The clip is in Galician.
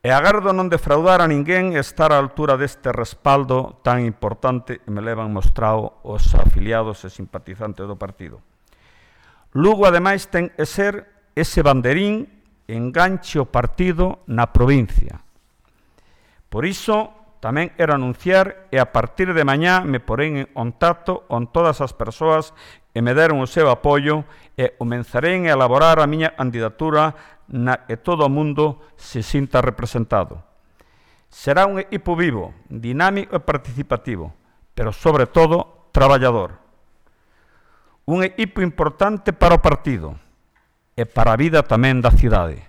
E agardo non defraudar a ninguén e estar á altura deste respaldo tan importante que me levan mostrado os afiliados e simpatizantes do partido. Lugo, ademais, ten que ser ese banderín enganche o partido na provincia. Por iso, tamén quero anunciar e a partir de mañá me porén en contacto con todas as persoas que me deron o seu apoio e comenzarei a elaborar a miña candidatura na que todo o mundo se sinta representado. Será un equipo vivo, dinámico e participativo, pero sobre todo traballador. Un equipo importante para o partido e para a vida tamén da cidade.